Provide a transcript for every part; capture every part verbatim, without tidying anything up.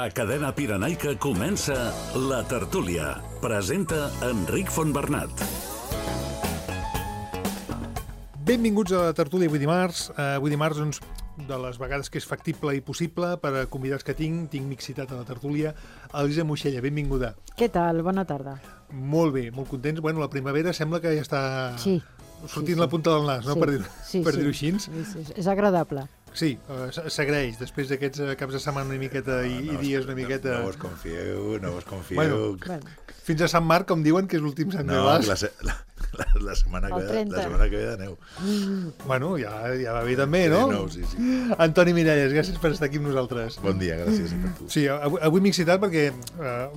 A Cadena Pirenaica comença La Tertúlia. Presenta Enric Fontbernat. Benvinguts a La Tertúlia avui dimarts. Uh, avui dimarts, doncs, de les vegades que és factible i possible per a convidats que tinc, tinc mixitat a La Tertúlia. Elisa Moixella, benvinguda. Què tal? Bona tarda. Molt bé, molt contents. Bueno, la primavera sembla que ja està sí, sortint sí, la sí. punta del nas, no? Sí, per dir-ho sí, per sí. dir-ho així. Sí, sí, és agradable. Sí, uh, s'agraeix, després d'aquests uh, caps de setmana una miqueta i, no, i dies una miqueta... No, no vos confieu, no vos confieu. Bueno, Bueno. fins a Sant Marc, com diuen, que és l'últim Sant No, Milàs. la, se- la, la, la, setmana que ve, la setmana que ve de neu. Bueno, ja, ja va bé també, no? De nou, sí, sí. Antoni Miralles, gràcies per estar aquí amb nosaltres. Bon dia, gràcies per tu. Sí, avui, avui m'he excitat perquè, uh,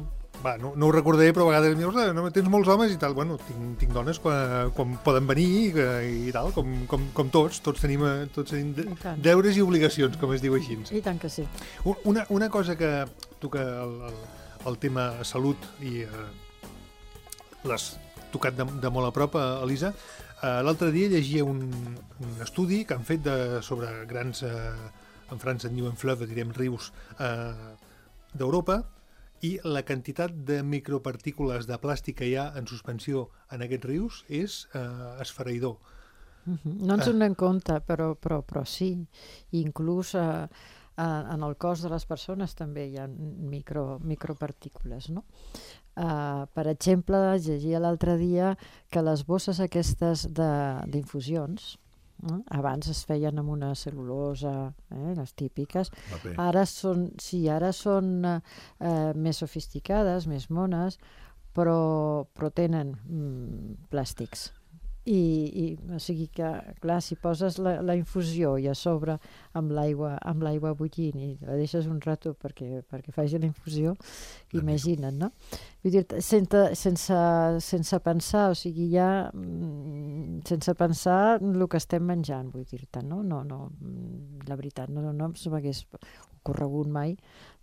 va, no, no ho recordaré, però a vegades em dius, no, tens molts homes i tal. Bueno, tinc, tinc dones quan, quan poden venir i, i tal, com, com, com tots. Tots tenim, eh, tots tenim de, deures i obligacions, com es diu així. I tant que sí. Una, una cosa que tu que el, el, el tema salut i uh, l'has tocat de, de molt a prop, uh, Elisa, uh, l'altre dia llegia un, un estudi que han fet de, sobre grans, uh, en França en diuen fleuves, direm rius, uh, d'Europa, i la quantitat de micropartícules de plàstic que hi ha en suspensió en aquests rius és eh, esfereïdor. Uh-huh. No ens en donem compte, però, però, però sí. Inclús eh, en el cos de les persones també hi ha micro, micropartícules, no? Uh, per exemple, llegia l'altre dia que les bosses aquestes d'infusions, eh, abans es feien amb una cel·lulosa, eh, les típiques, ara són, sí, ara són eh, més sofisticades, més mones, però, però tenen mm, plàstics. I, i, o sigui que, clar, si poses la, la infusió i a sobre amb l'aigua amb l'aigua bullint i la deixes un rato perquè, perquè faci la infusió, imagina't, no? Vull dir, sense, sense, sense pensar, o sigui, ja sense pensar el que estem menjant, vull dir-te, no? No, no, la veritat, no, no se m'hagués ocorregut mai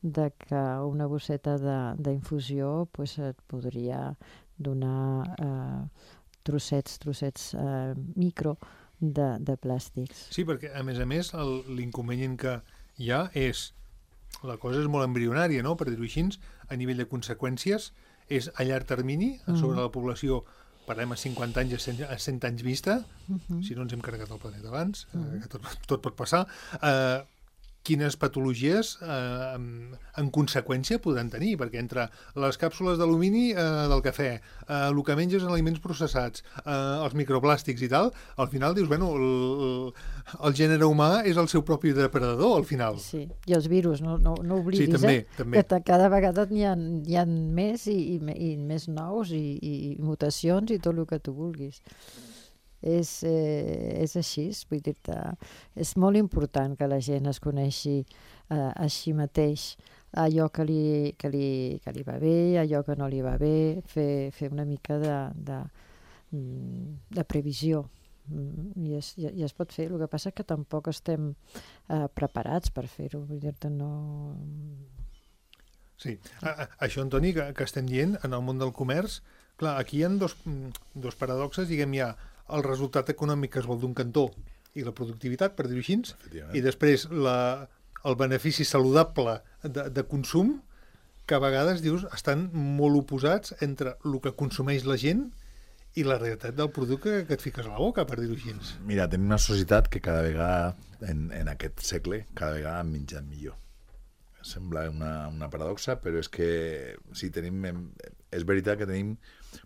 de que una bosseta d'infusió pues, et podria donar eh, trossets, trossets eh, micro de, de plàstics. Sí, perquè a més a més l'inconvenient que hi ha és, la cosa és molt embrionària, no? Per dir-ho així, a nivell de conseqüències, és a llarg termini, a sobre mm. la població, parlem a cinquanta anys, a cent, a cent anys vista, mm-hmm. si no ens hem carregat el planeta abans, mm. eh, que tot, tot pot passar, eh, quines patologies eh, en, en conseqüència podran tenir, perquè entre les càpsules d'alumini eh, del cafè, eh, el que menges en aliments processats, eh, els microplàstics i tal, al final dius, bueno, el, el gènere humà és el seu propi depredador, al final. Sí, i els virus, no, no, no oblidis, sí, també, eh? també. Que cada vegada n'hi ha, hi ha més i, i, i més nous i, i mutacions i tot el que tu vulguis. És, eh, és així, vull dir-te, és molt important que la gent es coneixi eh, així mateix allò que li, que, li, que li va bé, allò que no li va bé, fer, fer una mica de, de, de previsió. I es, i es pot fer, el que passa és que tampoc estem eh, preparats per fer-ho, vull dir-te, no... Sí, a, a, això, Antoni, que, que estem dient en el món del comerç, clar, aquí hi ha dos, dos paradoxes, diguem, hi ha el resultat econòmic que es vol d'un cantó i la productivitat, per dir-ho així, i després la, el benefici saludable de, de consum, que a vegades, dius, estan molt oposats entre el que consumeix la gent i la realitat del producte que et fiques a la boca, per dir-ho així. Mira, tenim una societat que cada vegada, en, en aquest segle, cada vegada han menjat millor. Sembla una, una paradoxa, però és que si tenim, és veritat que tenim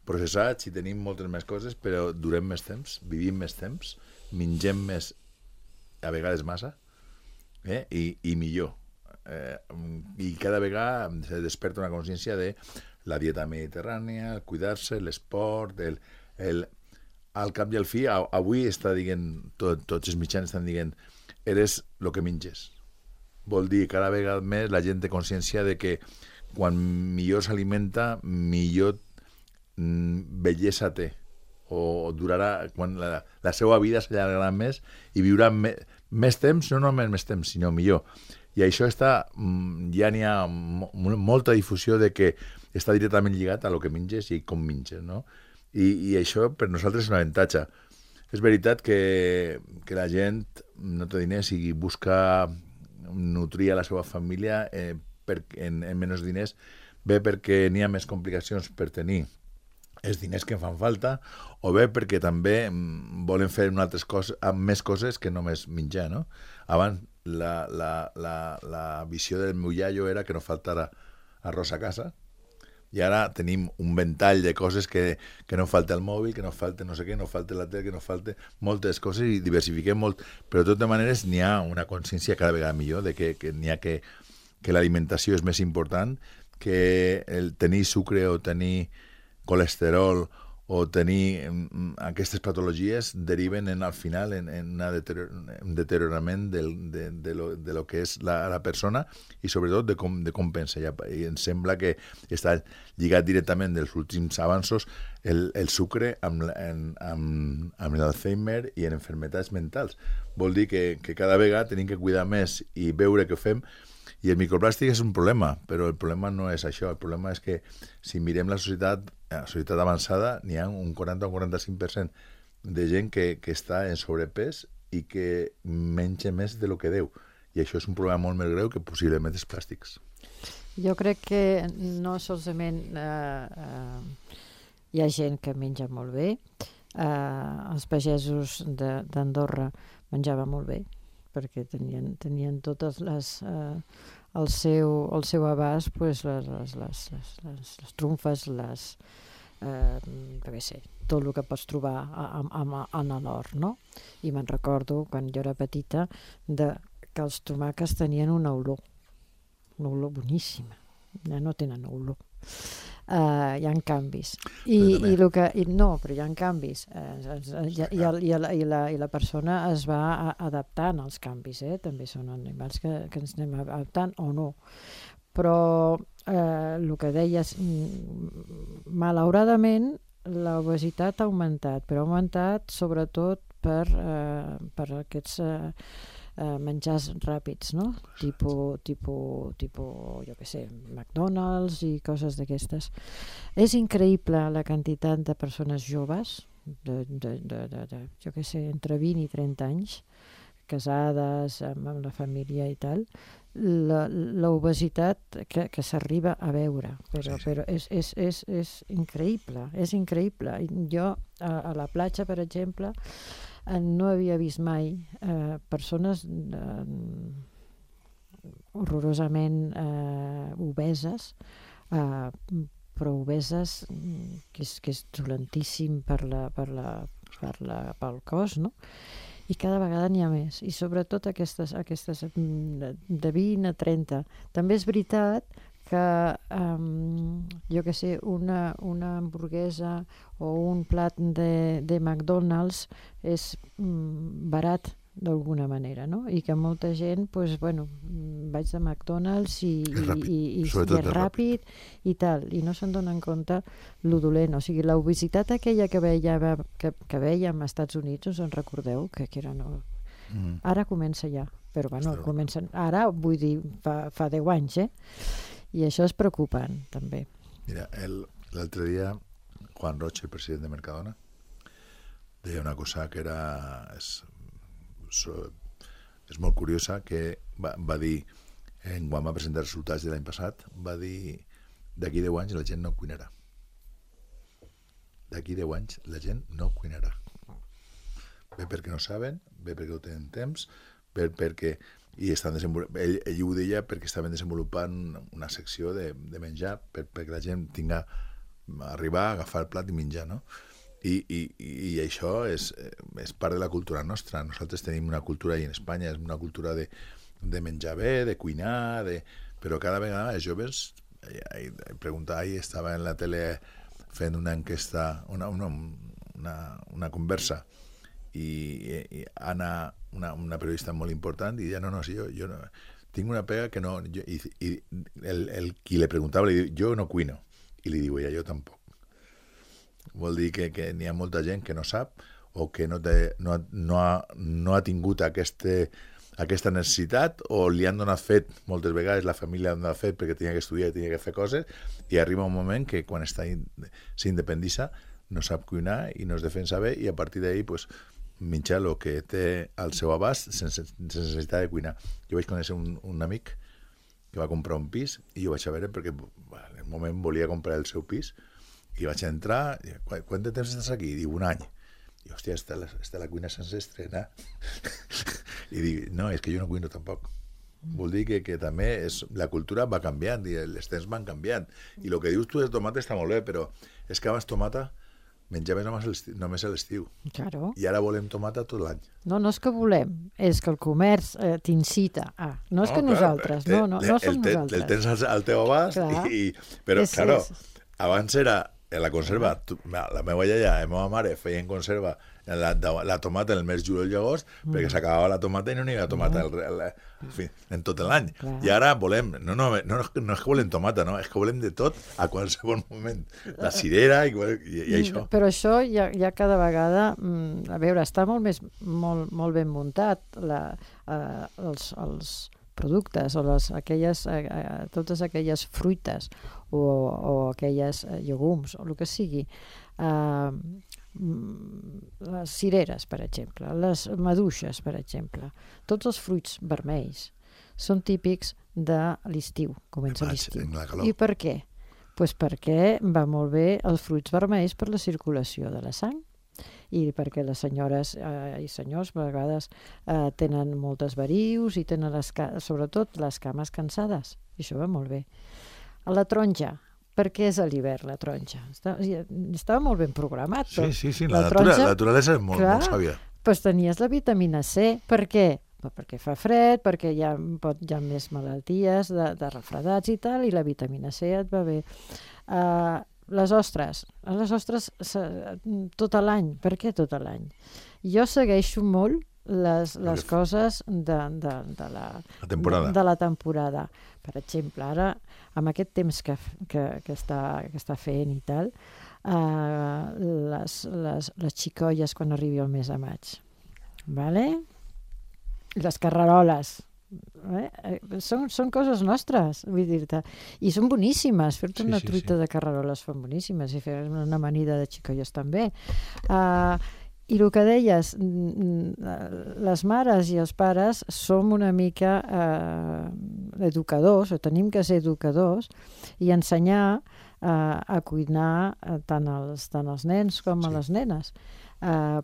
processats i tenim moltes més coses, però durem més temps, vivim més temps, mengem més, a vegades massa, eh? I, i millor. Eh, I cada vegada se desperta una consciència de la dieta mediterrània, el cuidar-se, l'esport, el, el, al cap i al fi, avui està dient, tot, tots els mitjans estan dient, eres el que menges. Vol dir, cada vegada més la gent té consciència de que quan millor s'alimenta, millor mm, bellesa té, o durarà, quan la, la seva vida s'allargarà més i viurà me, més temps, no només més temps, sinó millor. I això està, ja n'hi ha mo, molta difusió de que està directament lligat a lo que menges i com menges, no? I, i això per nosaltres és un avantatge. És veritat que, que la gent no té diners i busca nutrir a la seva família eh, per, en, en menys diners, bé perquè n'hi ha més complicacions per tenir els diners que fan falta, o bé perquè també volen fer una altres coses, amb més coses que només menjar, no? Abans la, la, la, la visió del meu iaio era que no faltara arròs a casa, i ara tenim un ventall de coses que, que no falta el mòbil, que no falta no sé què, no falta la tele, que no falta moltes coses i diversifiquem molt, però de totes maneres n'hi ha una consciència cada vegada millor de que, que n'hi ha que, que l'alimentació és més important, que el tenir sucre o tenir colesterol o tenir mm, aquestes patologies deriven en, al final en, en una deterior, un deteriorament del, de, de, lo, de lo que és la, la persona i sobretot de com, de com pensa. I em sembla que està lligat directament dels últims avanços el, el sucre amb, en, amb, amb l'Alzheimer i en enfermetats mentals. Vol dir que, que cada vegada tenim que cuidar més i veure què fem. I el microplàstic és un problema, però el problema no és això. El problema és que si mirem la societat, la societat avançada, n'hi ha un quaranta o un quaranta-cinc per cent de gent que, que està en sobrepès i que menja més de lo que deu. I això és un problema molt més greu que possiblement els plàstics. Jo crec que no solament eh, eh, hi ha gent que menja molt bé, eh, els pagesos d'Andorra menjaven molt bé, perquè tenien, tenien totes les, eh, el, seu, el seu abast, pues, les, les, les, les, les trumfes, les, eh, què sé, tot el que pots trobar en l'hort, no? I me'n recordo, quan jo era petita, de, que els tomàquets tenien una olor, una olor boníssima. Ja no tenen olor. Uh, hi ha canvis I, i, el que, i no, però hi ha canvis uh, i, i, i, i, la, i, la, i la persona es va adaptant als canvis, eh? També són animals que, que ens anem adaptant o no, però uh, el que deies, malauradament l'obesitat ha augmentat, però ha augmentat sobretot per, uh, per aquests uh, Uh, menjars ràpids, no? Tipo, tipo, tipo, jo què sé, McDonald's i coses d'aquestes. És increïble la quantitat de persones joves, de, de, de, de, de jo què sé, entre vint i trenta anys, casades, amb, amb la família i tal, l'obesitat que, que s'arriba a veure, però, però és, és, és, és increïble, és increïble. Jo a, a la platja, per exemple, no havia vist mai eh, persones eh, horrorosament eh, obeses, eh, però obeses que és, que és dolentíssim per la, per la, per la, pel cos, no? I cada vegada n'hi ha més, i sobretot aquestes, aquestes de vint a trenta. També és veritat que um, jo que sé, una, una hamburguesa o un plat de, de McDonald's és mm, barat d'alguna manera, no? I que molta gent, pues, bueno, vaig de McDonald's i, i, i, i, i és ràpid, ràpid i tal, i no se'n donen compte lo dolent. O sigui, l'obesitat aquella que veiem, que, que veiem als Estats Units, us en recordeu? Que, que era no... Mm. Ara comença ja, però bueno, comencen... ara, vull dir, fa, fa deu anys, eh? I això és preocupant, també. Mira, l'altre dia, Juan Roig, el president de Mercadona, deia una cosa que era... És, és molt curiosa, que va, va dir, en quan va presentar els resultats de l'any passat, va dir, d'aquí deu anys la gent no cuinarà. D'aquí deu anys la gent no cuinarà. Bé perquè no saben, bé perquè no tenen temps, bé perquè... i estan desenvolupant, ell, ell ho deia perquè estaven desenvolupant una secció de, de menjar per, perquè la gent tinga arribar, agafar el plat i menjar, no? I, i, i això és, és part de la cultura nostra. Nosaltres tenim una cultura, i en Espanya és una cultura de, de menjar bé, de cuinar, de... però cada vegada els joves, preguntava, ahir estava en la tele fent una enquesta, una, una, una, una conversa, i, i Anna, una, una periodista molt important, i deia, no, no, sí, jo, jo no, tinc una pega que no... Jo, i i el, el qui le preguntava li diu, jo no cuino. I li diu ella, jo tampoc. Vol dir que, que n'hi ha molta gent que no sap o que no, té, no, no, ha, no ha tingut este, aquesta necessitat, o li han donat fet, moltes vegades la família ha donat fet perquè tenia que estudiar i tenia que fer coses, i arriba un moment que quan s'independitza no sap cuinar i no es defensa bé, i a partir d'ahir pues, menjar el que té al seu abast sense, sense necessitat de cuinar. Jo vaig conèixer un, un amic que va comprar un pis, i jo vaig a veure perquè bueno, en un moment volia comprar el seu pis, i vaig entrar, i, quant de temps estàs aquí? I diu, un any. I, hòstia, està la, està la cuina sense estrenar. I dic, no, és que jo no cuino tampoc. Vol dir que, que també és, la cultura va canviant i els temps van canviant. I el que dius tu de tomata està molt bé, però és que abans tomata menjaves només a l'estiu. Només a l'estiu. Claro. I ara volem tomata tot l'any. No, no és que volem, és que el comerç eh, t'incita a... No és no, que nosaltres, clar, no, no, no som el, te, nosaltres. El tens al, al teu abast, Clar. i, però, És- claro, és- abans era en la conserva, tu, la meva iaia i la meva mare feien conserva la, la tomata en el mes juliol i agost, mm. perquè s'acabava la tomata i no n'hi havia tomata el, el, en, fi, en tot l'any. Clar. I ara volem, no, no, no, no és que volem tomata, no, és que volem de tot a qualsevol moment. La cirera i, i, i això. Però això ja, ja cada vegada, mm, a veure, està molt més molt, molt ben muntat la, eh, els, els productes o les, aquelles, eh, eh, totes aquelles fruites o, o aquelles eh, llegums o el que sigui. Eh, les cireres, per exemple, les maduixes, per exemple, tots els fruits vermells són típics de l'estiu, comença Maig, l'estiu. en la calor. I per què? Pues perquè va molt bé els fruits vermells per la circulació de la sang i perquè les senyores eh, i senyors a vegades eh, tenen moltes varius i tenen les, sobretot les cames cansades, i això va molt bé. A la taronja, per què és a l'hivern la taronja? Estava, estava molt ben programat. Sí, sí, sí, la, la, taronja, natura, la naturalesa és molt, clar, molt sàvia. Doncs tenies la vitamina C. Per què? Perquè fa fred, perquè hi ha, pot, hi ha més malalties de, de refredats i tal, i la vitamina C et va bé. Uh, les ostres. Les ostres tot l'any. Per què tot l'any? Jo segueixo molt les, les coses de, de, de, la, la temporada. De, de la temporada. Per exemple, ara, amb aquest temps que, que, que, està, que està fent i tal, uh, les, les, les xicolles quan arribi el mes de maig. Vale? Les carreroles. Eh? Són, són coses nostres, vull dir-te. I són boníssimes. Fer-te Sí, una sí, truita sí. de carreroles són boníssimes i fer una amanida de xicolles també. Uh, I el que deies, les mares i els pares som una mica eh, educadors, o tenim que ser educadors i ensenyar eh, a cuinar eh, tant, els, tant els nens com Sí. a les nenes. Eh,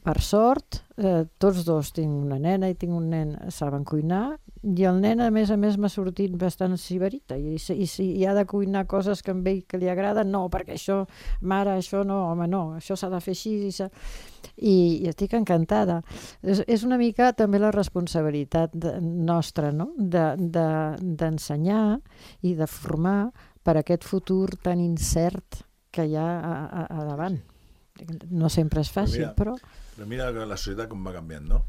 per sort, eh, tots dos, tinc una nena i tinc un nen, saben cuinar, i el nen, a més a més, m'ha sortit bastant sibarita, i, i si hi ha de cuinar coses que a ell que li agraden, no, perquè això, mare, això no, home, no, això s'ha de fer així, i, s'ha... I, i estic encantada. És, és una mica també la responsabilitat de, nostra, no?, de, de, d'ensenyar i de formar per aquest futur tan incert que hi ha a, a, a davant. No sempre és fàcil, però... Però mira la societat com va canviant, no?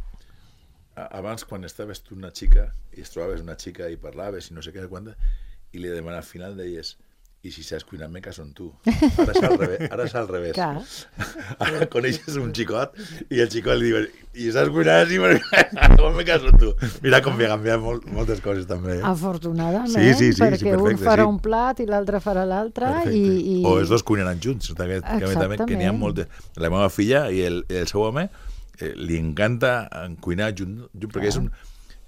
Abans, quan estaves tu una xica i es trobaves una xica i parlaves i no sé què, quanta, i li demanaves al final deies, i si saps cuinar, me caso en tu. Ara és al revés. Ara és al revés. Clar. Ara coneixes un xicot i el xicot li diu, i saps cuinar, sí, però me caso en tu. Mira com ha canviat molt, moltes coses també. Eh? Afortunadament, Sí, sí, sí, perquè sí, perfecte, un farà sí. un plat i l'altre farà l'altre. I, i... O els dos cuinaran junts. Que, que, també, que n'hi ha moltes. La meva filla i el, el seu home eh, li encanta cuinar junt, junt perquè és un...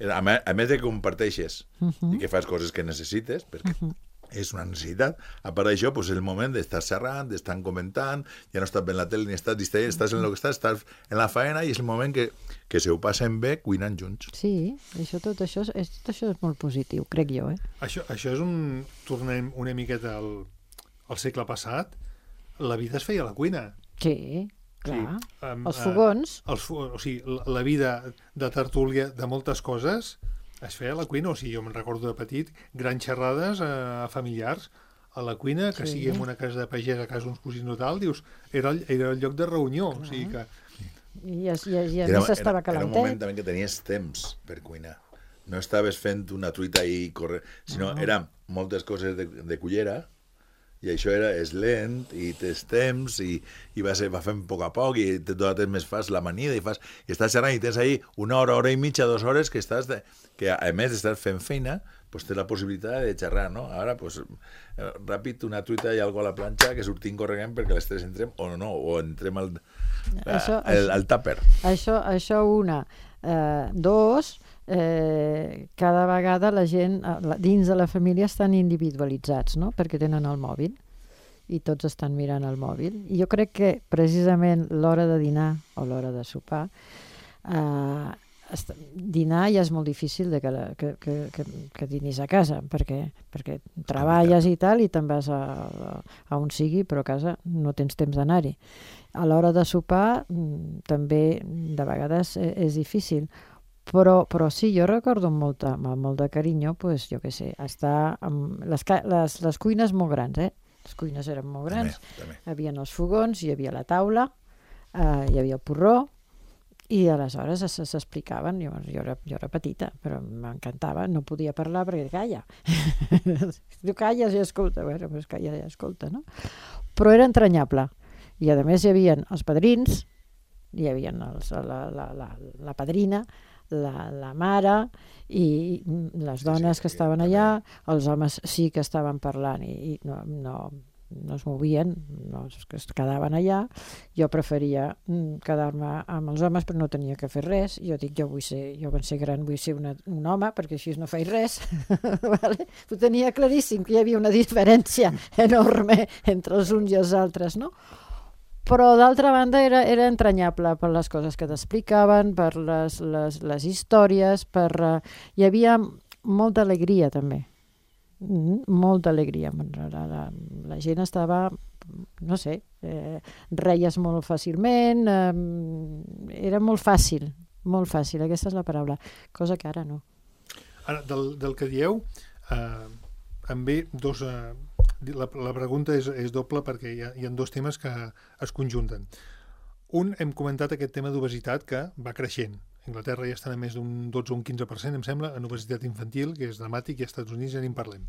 A més, a més de que comparteixes uh -huh. i que fas coses que necessites, perquè uh -huh. és una necessitat, a part d'això, pues, és el moment d'estar xerrant, d'estar comentant, ja no estàs veient la tele ni estàs distraient, estàs en el que estàs, estàs en la faena i és el moment que, que se ho passen bé cuinant junts. Sí, això, tot, això és, tot això és molt positiu, crec jo. Eh? Això, això és un... Tornem una miqueta al, al segle passat. La vida es feia a la cuina. Sí, clar. Sí, um, Els fogons. Uh, els, fo- o sigui, la, la vida de tertúlia de moltes coses es feia a la cuina. O sigui, jo me'n recordo de petit, grans xerrades uh, familiars a la cuina, que Sí. sigui en una casa de pagès, a casa d'uns cosins o tal, dius, era el, era el lloc de reunió. O sigui que... I, i, i a més estava era un moment calentet. també que tenies temps per cuinar. No estaves fent una truita i corre, sinó No. eren moltes coses de, de cullera i això era, és lent i tens temps i, i va, ser, va fent a poc a poc i tot el temps fas l'amanida i, fas, i estàs xerrant i tens ahí una hora, hora i mitja, dues hores que estàs de, que a més d'estar fent feina pues tens la possibilitat de xerrar, no? Ara, pues, eh, ràpid, una truita i algo a la planxa que sortim corregant perquè les tres entrem o no, o entrem al, Això- al, al tàper. Això, això una, Eh, dos, eh, cada vegada la gent eh, dins de la família estan individualitzats, no? Perquè tenen el mòbil i tots estan mirant el mòbil. I jo crec que precisament l'hora de dinar o l'hora de sopar, eh, dinar ja és molt difícil de que, la, que, que, que, que dinis a casa, perquè, perquè treballes i tal i te'n vas a, a, a on sigui, però a casa no tens temps d'anar-hi. A l'hora de sopar també de vegades és difícil, però, però sí, jo recordo amb, molta, amb molt de carinyo, pues, jo què sé, estar amb les, les, les cuines molt grans, eh? Les cuines eren molt grans, també, també. Hi havia els fogons, hi havia la taula, eh, hi havia el porró, i aleshores s'explicaven, jo, jo, era, jo era petita, però m'encantava, no podia parlar perquè calla. Tu calles i escolta, bueno, doncs calla i escolta, no? Però era entranyable. I a més hi havia els padrins, hi havia els, la, la, la, la padrina, la, la mare i les dones que estaven allà, els homes sí que estaven parlant i, i no, no, no es movien, no, es quedaven allà. Jo preferia quedar-me amb els homes, però no tenia que fer res. Jo dic, jo vull ser, jo quan ser gran vull ser una, un home, perquè així no faig res. Vale? Ho tenia claríssim, que hi havia una diferència enorme entre els uns i els altres, no? Però d'altra banda era, era entranyable per les coses que t'explicaven, per les, les, les històries, per, uh, hi havia molta alegria també. Mm, molta alegria. La, la, la gent estava, no sé, eh, reies molt fàcilment, eh, era molt fàcil, molt fàcil, aquesta és la paraula, cosa que ara no. Ara, del, del que dieu, eh, em ve dos... Eh, la, la pregunta és, és doble perquè hi ha, hi ha dos temes que es conjunten. Un, hem comentat aquest tema d'obesitat que va creixent. A Anglaterra ja estan a més d'un dotze o un quinze per cent, em sembla, en obesitat infantil, que és dramàtic, i als Estats Units ja n'hi parlem.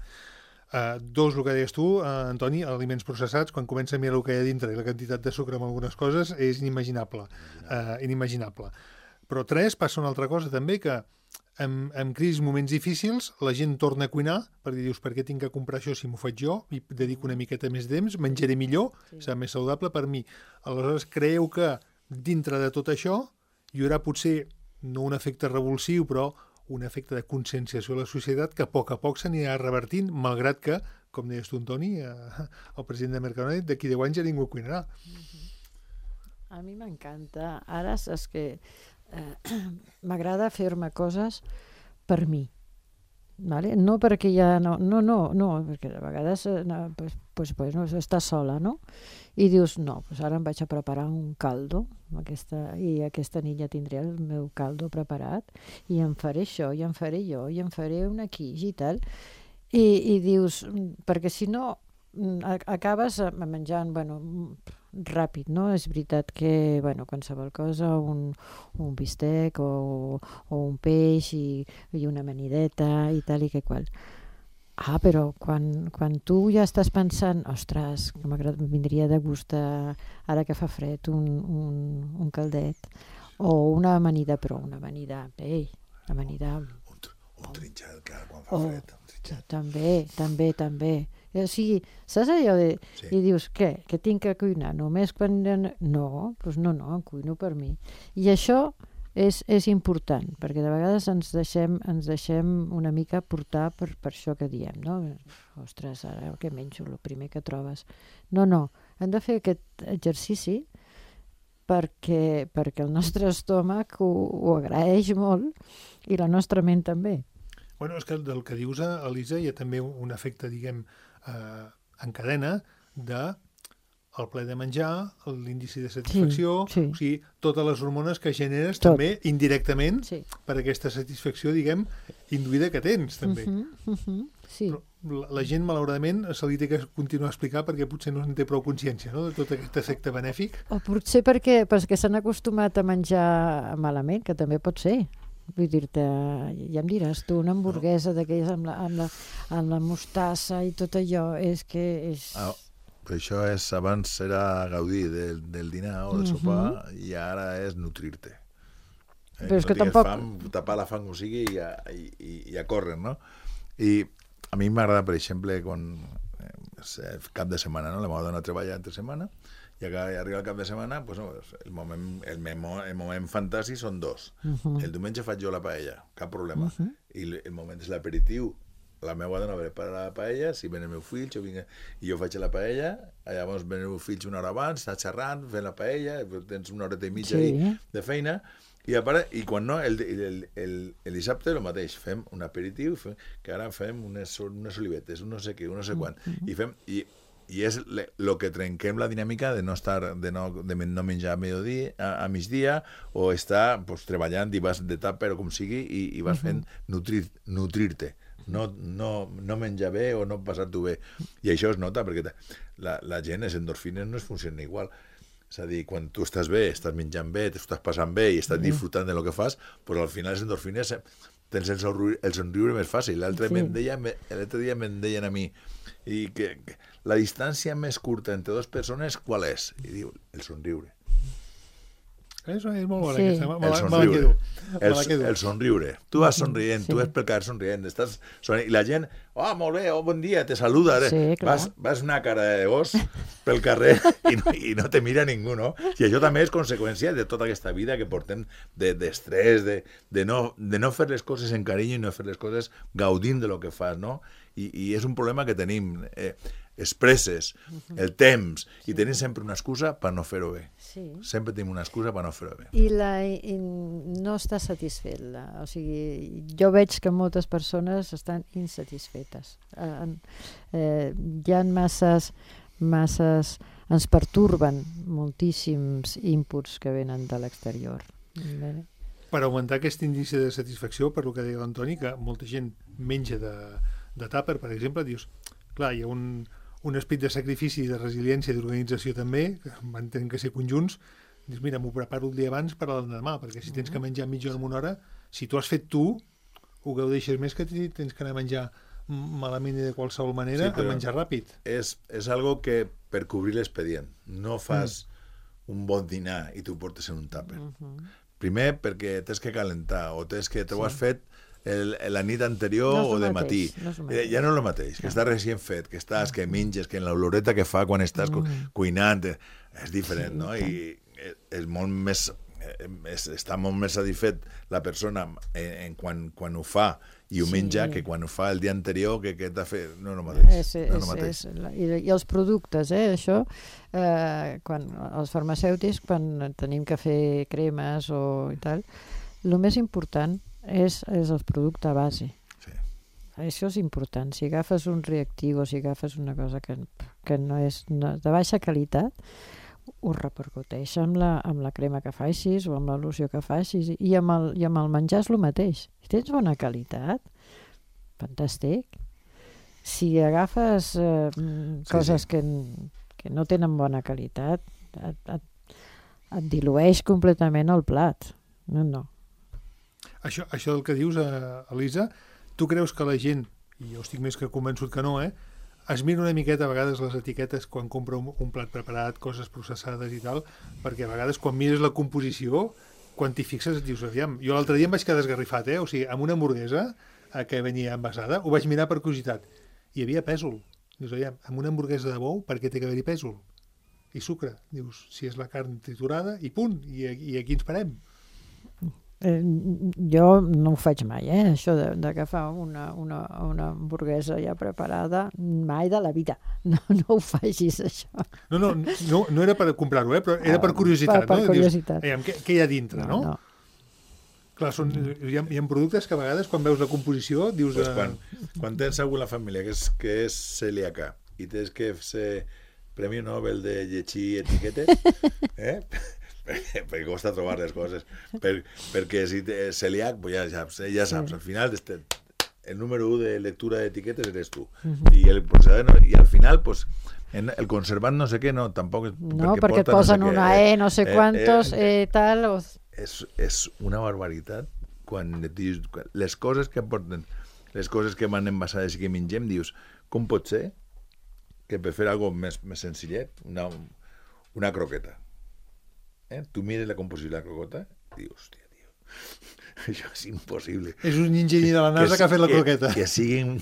Uh, dos, el que deies tu, uh, Antoni, aliments processats, quan comença a mirar el que hi ha dintre i la quantitat de sucre en algunes coses, és inimaginable. Uh, inimaginable. Però tres, passa una altra cosa també, que en, en crisis, moments difícils, la gent torna a cuinar, perquè dius, per què tinc que comprar això si m'ho faig jo, i dedico una miqueta més temps, menjaré millor, sí. Serà més saludable per mi. Aleshores, creieu que dintre de tot això hi haurà potser no un efecte revulsiu, però un efecte de conscienciació a la societat que a poc a poc s'anirà revertint, malgrat que, com deies tu, Antoni, eh, el president de Mercadona, d'aquí deu anys ja ningú cuinarà. Mm-hmm. A mi m'encanta. Ara saps que eh, m'agrada fer-me coses per mi. Vale? No perquè ja no, no, no, no, perquè a vegades no, pues, pues, pues, no, estàs sola, no? I dius, no, pues ara em vaig a preparar un caldo, aquesta, i aquesta nit ja tindré el meu caldo preparat, i em faré això, i em faré jo, i em faré un quiche i tal. I, i dius, perquè si no, acabes menjant, bueno, ràpid, no? És veritat que, bueno, qualsevol cosa, un, un bistec o, o un peix i, i una amanideta i tal i que qual. Ah, però quan, quan tu ja estàs pensant, ostres, que m'agrada, vindria de gust a, ara que fa fred un, un, un caldet o una amanida, però una amanida, ei, amanida... Un, un trinxat, clar, quan fa fred. Un trinxat. També, també, també. O sigui, saps allò de... Sí. I dius, què? Que tinc que cuinar només quan... No, doncs no, no, em cuino per mi. I això és, és important, perquè de vegades ens deixem, ens deixem una mica portar per, per això que diem, no? Ostres, ara què menjo? El primer que trobes. No, no, hem de fer aquest exercici perquè, perquè el nostre estómac ho, ho agraeix molt i la nostra ment també. Bueno, és que del que dius, Elisa, hi ha també un efecte, diguem, eh, en cadena de el ple de menjar, l'índice de satisfacció, sí, sí. O sigui, totes les hormones que generes Tot. també indirectament sí. per aquesta satisfacció, diguem, induïda que tens, també. Uh -huh, uh -huh, sí. Però la, la gent, malauradament, se li té que continuar a explicar perquè potser no en té prou consciència, no?, de tot aquest efecte benèfic. O potser perquè, perquè s'han acostumat a menjar malament, que també pot ser. Vull dir-te, ja em diràs tu, una hamburguesa no. d'aquelles amb, la, amb, la, amb la mostassa i tot allò, és que és... Ah, però això és, abans era gaudir del, del dinar o del sopar, uh-huh. i ara és nutrir-te. Eh? Però és no que tampoc... Fam, tapar la fam o sigui i a, i, i, i a córrer, no? I a mi m'agrada, per exemple, quan eh, cap de setmana, no? La meva dona treballa entre setmana, i arriba el cap de setmana, pues, no, el, moment, el, memo, el moment fantàstic són dos. Uh -huh. El diumenge faig jo la paella, cap problema. Uh -huh. I el, el moment és l'aperitiu. La meva dona prepara la paella, si ven el meu fill, jo vinc, i jo faig la paella, llavors ven el meu fill una hora abans, està xerrant, fent la paella, tens una horeta i mitja sí. de feina, i, a part, i quan no, el, el, el, el dissabte el mateix, fem un aperitiu, fem, que ara fem unes, unes olivetes, un no sé què, un no sé quant, uh -huh. i fem... I, i és el que trenquem la dinàmica de no estar de no, de no menjar a mediodía, a, a migdia, o estar pues, treballant i vas de tàper o com sigui i, i vas uh -huh. fent nutrir, nutrir-te, no, no, no menjar bé o no passar-t'ho bé. I això es nota perquè la, la gent, les endorfines no es funcionen igual. És a dir, quan tu estàs bé, estàs menjant bé, t'ho estàs passant bé i estàs disfrutant de lo que fas, pues al final les endorfines tens el somriure, el somriure més fàcil. L'altre sí. dia me'n deien a mi i que, que la distància més curta entre dues persones qual és? I diu, el somriure. Això és molt bona, sí. aquesta. Me el la, somriure. me la el, me la el somriure. Tu vas somrient, sí. tu ves pel carrer somrient, estàs somrient, i la gent, oh, molt bé, oh, bon dia, te saluda. Sí, vas, vas una cara de gos pel carrer i no, i no te mira ningú, no? I això també és conseqüència de tota aquesta vida que portem d'estrès, de, de, de, no, de no fer les coses en carinyo i no fer les coses gaudint de lo que fas, no? I, i és un problema que tenim. Eh, expresses, el temps, i tenim sempre una excusa per no fer-ho bé. Sí. Sempre tenim una excusa per no fer-ho bé. I, la, i no està satisfet. La, o sigui, jo veig que moltes persones estan insatisfetes. Eh, eh, hi ha masses, masses... Ens perturben moltíssims inputs que venen de l'exterior. Bé. Per augmentar aquest índice de satisfacció, per lo que deia l'Antoni, que molta gent menja de, de tàper, per exemple, dius, clar, hi ha un... un esperit de sacrifici, de resiliència, d'organització també, que van tenir que ser conjunts, dius, mira, m'ho preparo el dia abans per a l'endemà, perquè si tens que menjar mitja hora en una hora, si tu has fet tu, ho gaudeixes més que tens que anar a menjar malament i de qualsevol manera, sí, a menjar ràpid. És, és algo que per cobrir l'expedient. No fas mm. un bon dinar i t'ho portes en un tàper. Uh -huh. Primer perquè tens que calentar, o tens que t'ho sí. has fet El, la nit anterior no o de mateix, matí. No eh, ja no és el mateix, que no. Està recient fet, que estàs, que menges, que en l'oloreta que fa quan estàs mm. cuinant, és diferent, sí, no? I és molt més, és, està molt més satisfet la persona en, en quan, quan ho fa i ho sí. menja que quan ho fa el dia anterior que, que t'ha fet, no és el mateix. És, és, no és el mateix. És, i, I els productes, eh, això, eh, quan els farmacèutics, quan tenim que fer cremes o i tal, el més important és, és el producte base. Sí. Això és important. Si agafes un reactiu o si agafes una cosa que, que no és no, de baixa qualitat, ho repercuteix amb la, amb la crema que facis o amb la loció que facis, i amb el, i amb el menjar és el mateix. Si tens bona qualitat, fantàstic. Si agafes eh, coses sí, sí. Que, que no tenen bona qualitat, et, et, et dilueix completament el plat. No, no. Això, això del que dius, eh, Elisa, tu creus que la gent, i jo estic més que convençut que no, eh, es mira una miqueta a vegades les etiquetes quan compra un, un plat preparat, coses processades i tal, perquè a vegades quan mires la composició, quan t'hi fixes et dius, aviam, jo l'altre dia em vaig quedar esgarrifat, eh? O sigui, amb una hamburguesa eh, que venia envasada, ho vaig mirar per curiositat, hi havia pèsol. Dius, aviam, amb una hamburguesa de bou, per què té que haver-hi pèsol? I sucre. Dius, si és la carn triturada, i punt, i, i aquí ens parem. Eh, jo no ho faig mai, eh? Això d'agafar una, una, una hamburguesa ja preparada, mai de la vida. No, no ho facis, això. No, no, no, no era per comprar-ho, eh? Però era per curiositat. Per, per no? curiositat. Dius, què, què hi ha dintre, no? no? no. Clar, són, hi, ha, hi ha productes que a vegades, quan veus la composició, dius... Pues quan, quan tens algú a la família que és, que és celíaca i tens que ser Premi Nobel de llegir etiquetes, eh? perquè costa trobar les coses, per, perquè si és celíac, pues ja, ja, ja saps, al final este, el número u de lectura d'etiquetes eres tu, uh-huh. I, el procedent, i al final pues, en el conservant no sé què, no, tampoc... No, perquè, perquè et posen no sé una què, E, no sé quantos, eh, eh, eh, tal... O... És, és una barbaritat quan dius, les coses que aporten, les coses que van envasades i que mengem, dius, com pot ser que per fer alguna cosa més, més senzillet, una, una croqueta, eh? Tu mires la composició de la croqueta i dius, hòstia, tio, això és impossible. És un enginyer de la NASA que, que ha fet la croqueta. Que, que siguin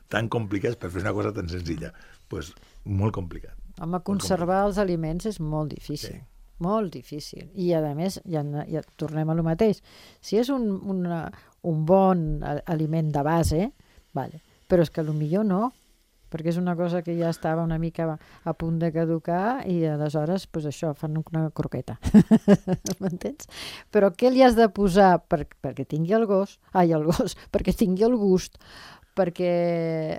tan complicats per fer una cosa tan senzilla. Doncs pues, molt complicat. Home, conservar els aliments és molt difícil. Sí. Molt difícil. I, a més, ja, ja tornem a lo mateix. Si és un, una, un bon aliment de base, vale. Però és que potser no, perquè és una cosa que ja estava una mica a punt de caducar i aleshores, pues això, fan una croqueta. M'entens? Però què li has de posar per, perquè tingui el gos, ai, el gos, perquè tingui el gust, perquè,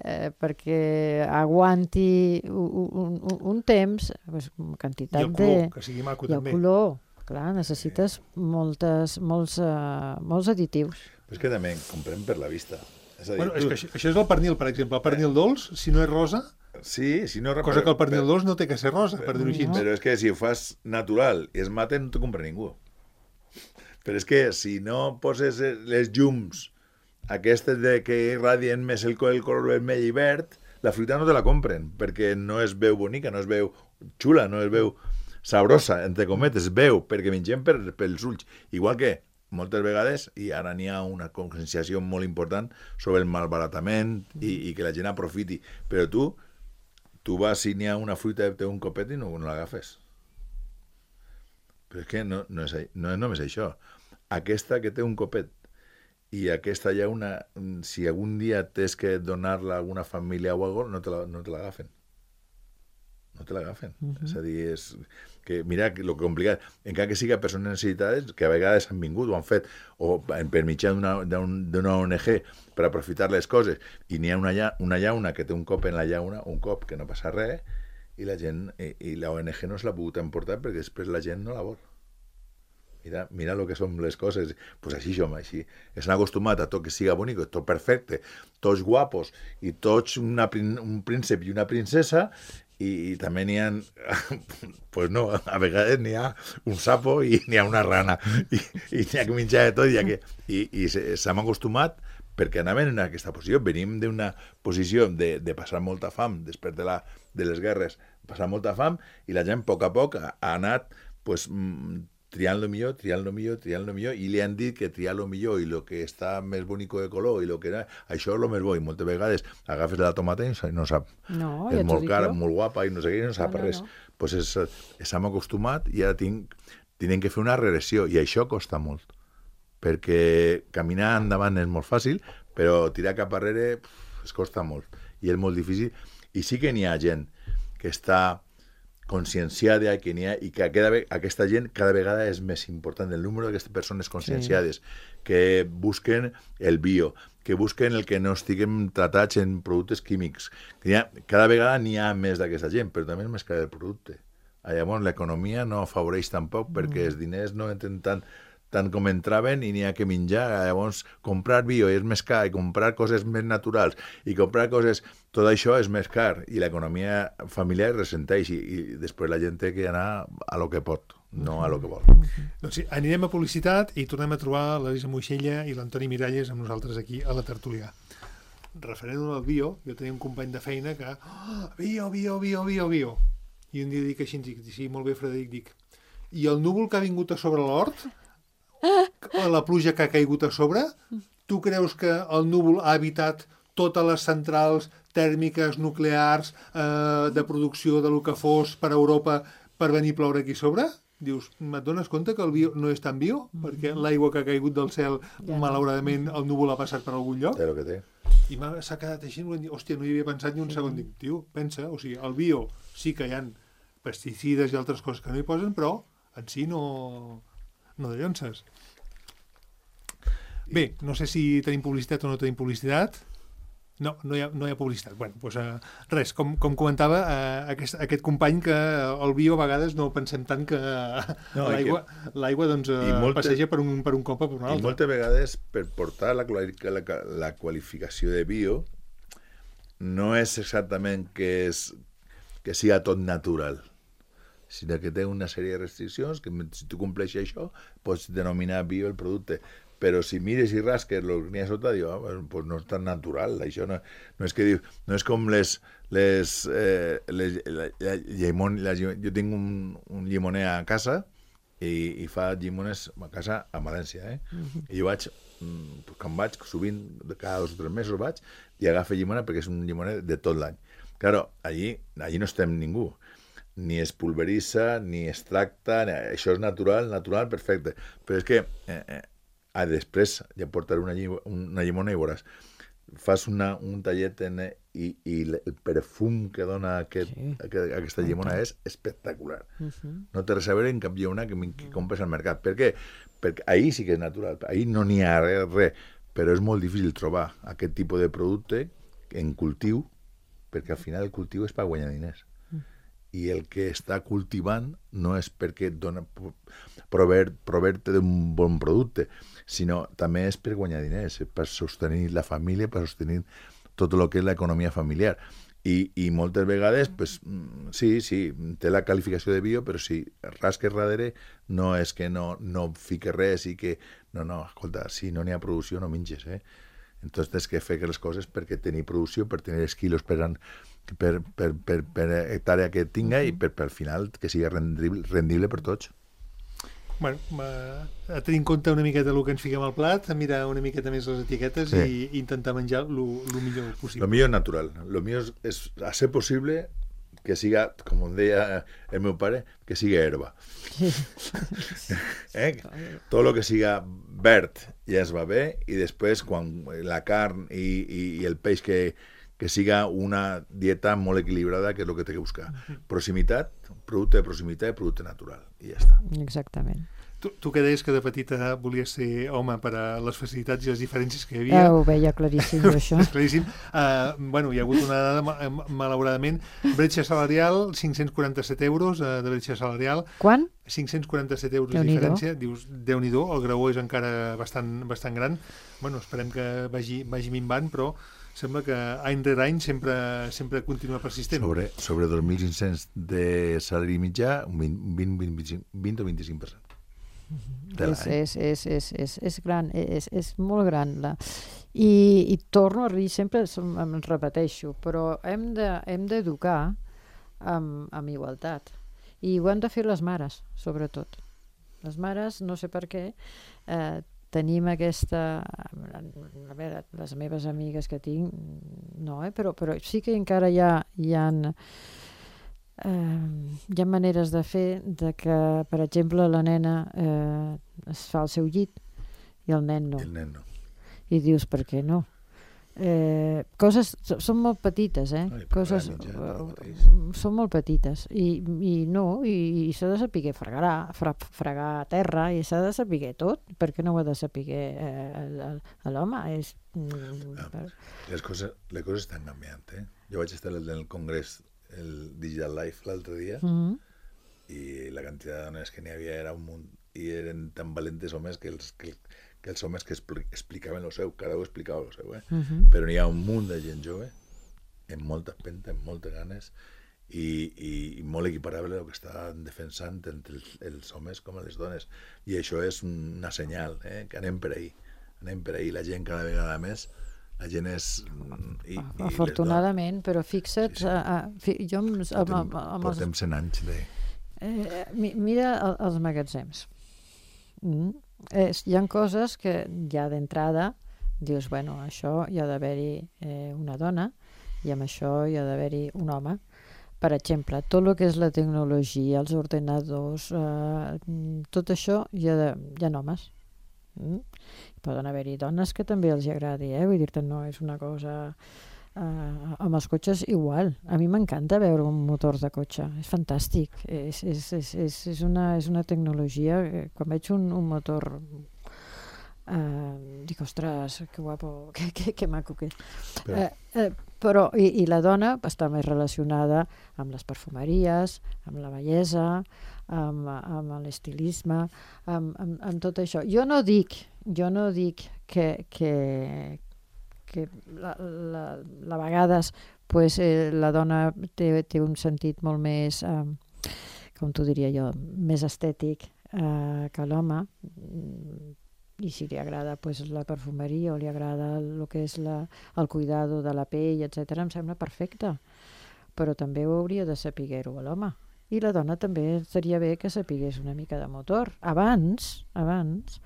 eh, perquè aguanti un, un, un temps, pues, quantitat de... I el color, de... que sigui maco I també. I el color, clar, necessites sí. moltes, molts, uh, molts additius. Però és que també comprem per la vista. És a dir, bueno, tu... és que això, això és el pernil, per exemple. El pernil dolç, si no és rosa, sí, si no... cosa que el pernil dolç no té que ser rosa, per dir-ho així. Però és que si ho fas natural i es mata, no t'ho compra ningú. Però és que si no poses les llums aquestes de que irradien més el, el color vermell i verd, la fruita no te la compren, perquè no es veu bonica, no es veu xula, no es veu sabrosa, entre cometes, es veu, perquè mengem per, pels ulls. Igual que moltes vegades, i ara n'hi ha una conscienciació molt important sobre el malbaratament i, i que la gent aprofiti, però tu, tu vas si n'hi ha una fruita que té un copet i no, no l'agafes. Però és que no, no, és, no és només això. Aquesta que té un copet i aquesta ja una, si algun dia tens que donar-la a alguna família o alguna cosa, no te la, no te l'agafen. No te l'agafen. Uh -huh. És a dir, és que, mira, lo que complicat, encara que siga persones necessitades, que a vegades han vingut o han fet, o per mitjà d'una O N G per aprofitar les coses, i n'hi ha una, lla, una llauna que té un cop en la llauna, un cop que no passa res, i la gent, i, i la O N G no se l'ha pogut emportar perquè després la gent no la vol. Mira, mira lo que són les coses. Pues així som, així. Estan acostumats a tot que siga bonic, tot perfecte, tots guapos, i tots una, un príncep i una princesa, i, i també n'hi ha... pues no, a vegades n'hi ha un sapo i n'hi ha una rana, i, i n'hi ha que menjar de tot, i, que, i, i s'hem acostumat perquè anaven en aquesta posició. Venim d'una posició de, de passar molta fam, després de, la, de les guerres, passar molta fam, i la gent a poc a poc ha, ha anat pues, triant lo millor, triant lo millor, triant lo millor, i li han dit que triar lo millor i lo que està més bonico de color i lo que era, això és lo més bo, i moltes vegades agafes la tomata i no sap. No, és ja molt cara, jo. molt guapa i no sé què, i no sap no, no, res. No. Pues és, s'hem acostumat i ara tinc, tenen que fer una regressió, i això costa molt, perquè caminar endavant és molt fàcil, però tirar cap arrere pff, es costa molt, i és molt difícil, i sí que n'hi ha gent que està conscienciada, que n'hi ha, i que cada, aquesta gent cada vegada és més important, el número d'aquestes persones conscienciades, sí. que busquen el bio, que busquen el que no estiguem tratats en productes químics. Que ha, cada vegada n'hi ha més d'aquesta gent, però també és més car el producte. Llavors, l'economia no afavoreix tampoc, mm. perquè els diners no entren tant, tant com entraven i n'hi ha que menjar. Llavors, comprar bio és més car, i comprar coses més naturals, i comprar coses... Tot això és més car, i l'economia familiar ressenteix, i, i després la gent té que anar a lo que pot, no a lo que vol. Doncs sí, anirem a publicitat i tornem a trobar l'Elisa Moixella i l'Antoni Miralles amb nosaltres aquí a la tertúlia. Referent al bio, jo tenia un company de feina que... Oh, bio, bio, bio, bio, bio. I un dia dic així, dic, sí, molt bé, Frederic, dic. I el núvol que ha vingut a sobre l'hort, la pluja que ha caigut a sobre, tu creus que el núvol ha evitat totes les centrals tèrmiques, nuclears, eh, de producció de lo que fos per a Europa per venir a ploure aquí sobre? Dius, et dones compte que el bio no és tan bio? Mm-hmm. Perquè l'aigua que ha caigut del cel, ja malauradament, el núvol ha passat per algun lloc? Té el que té. I s'ha quedat així, hòstia, no hi havia pensat ni un segon. Dic, tio, pensa, o sigui, el bio sí que hi ha pesticides i altres coses que no hi posen, però en si no, no de llonces. Bé, no sé si tenim publicitat o no tenim publicitat. No, no hi ha, no hi ha publicitat. Bueno, doncs, uh, res, com, com comentava uh, aquest, aquest company, que el bio a vegades no pensem tant que no, l'aigua, que... l'aigua doncs, uh, moltes... passeja per un, per un cop o per un altre. I moltes vegades, per portar la, la, la qualificació de bio, no és exactament que, és, que siga tot natural, sinó que té una sèrie de restriccions que si tu compleixes això, pots denominar bio el producte. Però si mires i rasques el que n'hi ha sota, diu, ah, pues no és tan natural. Això no, no, és que diu, no és com les... les, eh, les la, la, llimon, la, jo tinc un, un llimoner a casa i, i fa llimones a casa a València. Eh? Uh-huh. I jo vaig, quan vaig, sovint, cada dos o tres mesos vaig, i agafa llimona perquè és un llimoner de tot l'any. Claro, allí, allí no estem ningú. ni es pulveritza, ni es tracta, ni... això és natural, natural, perfecte. Però és que eh, eh, ah, després ja portaré una, llim una llimona i veuràs. Fas una, un tallet en, i, i el perfum que dona aquest, sí. aquest, aquesta llimona és espectacular. Uh-huh. No té res a veure en cap llimona que, que compres al mercat. Per què? Perquè ahir sí que és natural, ahir no n'hi ha res, res, però és molt difícil trobar aquest tipus de producte en cultiu, perquè al final el cultiu és per guanyar diners. I el que està cultivant no és perquè dona proveer-te d'un bon producte, sinó també és per guanyar diners, per sostenir la família, per sostenir tot el que és l'economia familiar. I, i moltes vegades, pues, sí, sí, té la qualificació de bio, però si rasques darrere no és que no, no fique res i que... No, no, escolta, si no n'hi ha producció no menges, eh? Entonces tens que fer les coses perquè tenir producció, per tenir els quilos per, per, per, per, per hectàrea que tinga uh-huh. i per, per al final que sigui rendible, rendible per tots. Bueno, a tenir en compte una miqueta el que ens fiquem al plat, a mirar una miqueta més les etiquetes sí. i intentar menjar el millor possible. Lo millor és natural. Lo millor és, és a ser possible que siga, com em deia el meu pare, que siga herba. eh? Tot el que siga verd ja es va bé, i després quan la carn i, i, i el peix que, que siga una dieta molt equilibrada, que és el que té que buscar. Proximitat, producte de proximitat i producte natural, i ja està. Exactament. Tu, tu que deies que de petita volies ser home per a les facilitats i les diferències que hi havia... Ah, ho veia claríssim, això. És claríssim. Uh, bueno, hi ha hagut una dada, malauradament, bretxa salarial, cinc-cents quaranta-set euros uh, de bretxa salarial. Quan? cinc-cents quaranta-set euros de diferència. Dius, Déu-n'hi-do, el graó és encara bastant, bastant gran. Bueno, esperem que vagi, vagi minvant, però sembla que any rere any sempre, sempre continua persistent. Sobre, sobre dos mil cinc-cents de salari mitjà, un vint, vint, vint, vint o vint-i-cinc per cent. És, és, és, és, és, és gran, és, és molt gran. La... I, I torno a dir, sempre em repeteixo, però hem de, hem d'educar amb, amb igualtat. I ho han de fer les mares, sobretot. Les mares, no sé per què, eh, tenim aquesta... A veure, les meves amigues que tinc, no, eh? però, però sí que encara hi ha... Hi ha Uh, hi ha maneres de fer de que, per exemple, la nena uh, es fa el seu llit i el nen no. El nen no. I dius, per què no? Eh, coses, són molt petites, eh? Ai, coses, mitjà, uh, són molt petites i, i no, i, i s'ha de saber fregar, fra, fregar a terra, i s'ha de saber tot. Per què no ho ha de saber eh, l'home? És, mm, ah, les, coses, les coses estan canviant, eh? Jo vaig estar en el congrés el Digital Life l'altre dia mm-hmm. i la quantitat de dones que n'hi havia era un munt, i eren tan valentes homes que els, que, que els homes que expli explicaven el seu, cada un explicava el seu, eh? Mm-hmm. Però n'hi ha un munt de gent jove amb molta empenta, amb moltes ganes i, i, i molt equiparable el que estan defensant entre els, els homes com les dones, i això és una senyal, eh? Que anem per ahí, anem per ahí, la gent cada vegada més. La gent és... I, i afortunadament, però fixa't... Sí, sí. A, a, fi, jo amb, portem, amb, amb portem els... cent anys de... Eh, mira el, els magatzems. Mm. Eh, hi ha coses que ja d'entrada dius, bueno, això hi ha d'haver-hi eh, una dona i amb això hi ha d'haver-hi un home. Per exemple, tot el que és la tecnologia, els ordenadors, eh, tot això hi ha, de, hi ha homes. Mm? Poden haver-hi dones que també els agradi, eh? Vull dir-te, no és una cosa... Uh, amb els cotxes igual. A mi m'encanta veure un motor de cotxe, és fantàstic. És, és, és, és, és, una, és una tecnologia... Quan veig un, un motor... Uh, dic, ostres, que guapo, que, que, que maco que és. Però, uh, uh, però i, i la dona està més relacionada amb les perfumeries, amb la bellesa, amb, amb l'estilisme, amb, amb, amb tot això. Jo no dic, jo no dic que, que, que la, la, la vegades pues, eh, la dona té, té un sentit molt més, eh, com t'ho diria jo, més estètic eh, que l'home, i si li agrada pues, la perfumeria o li agrada el que és la, el cuidado de la pell, etcètera, em sembla perfecte. Però també ho hauria de saber-ho a l'home. I la dona també seria bé que sapigués una mica de motor. Abans, abans,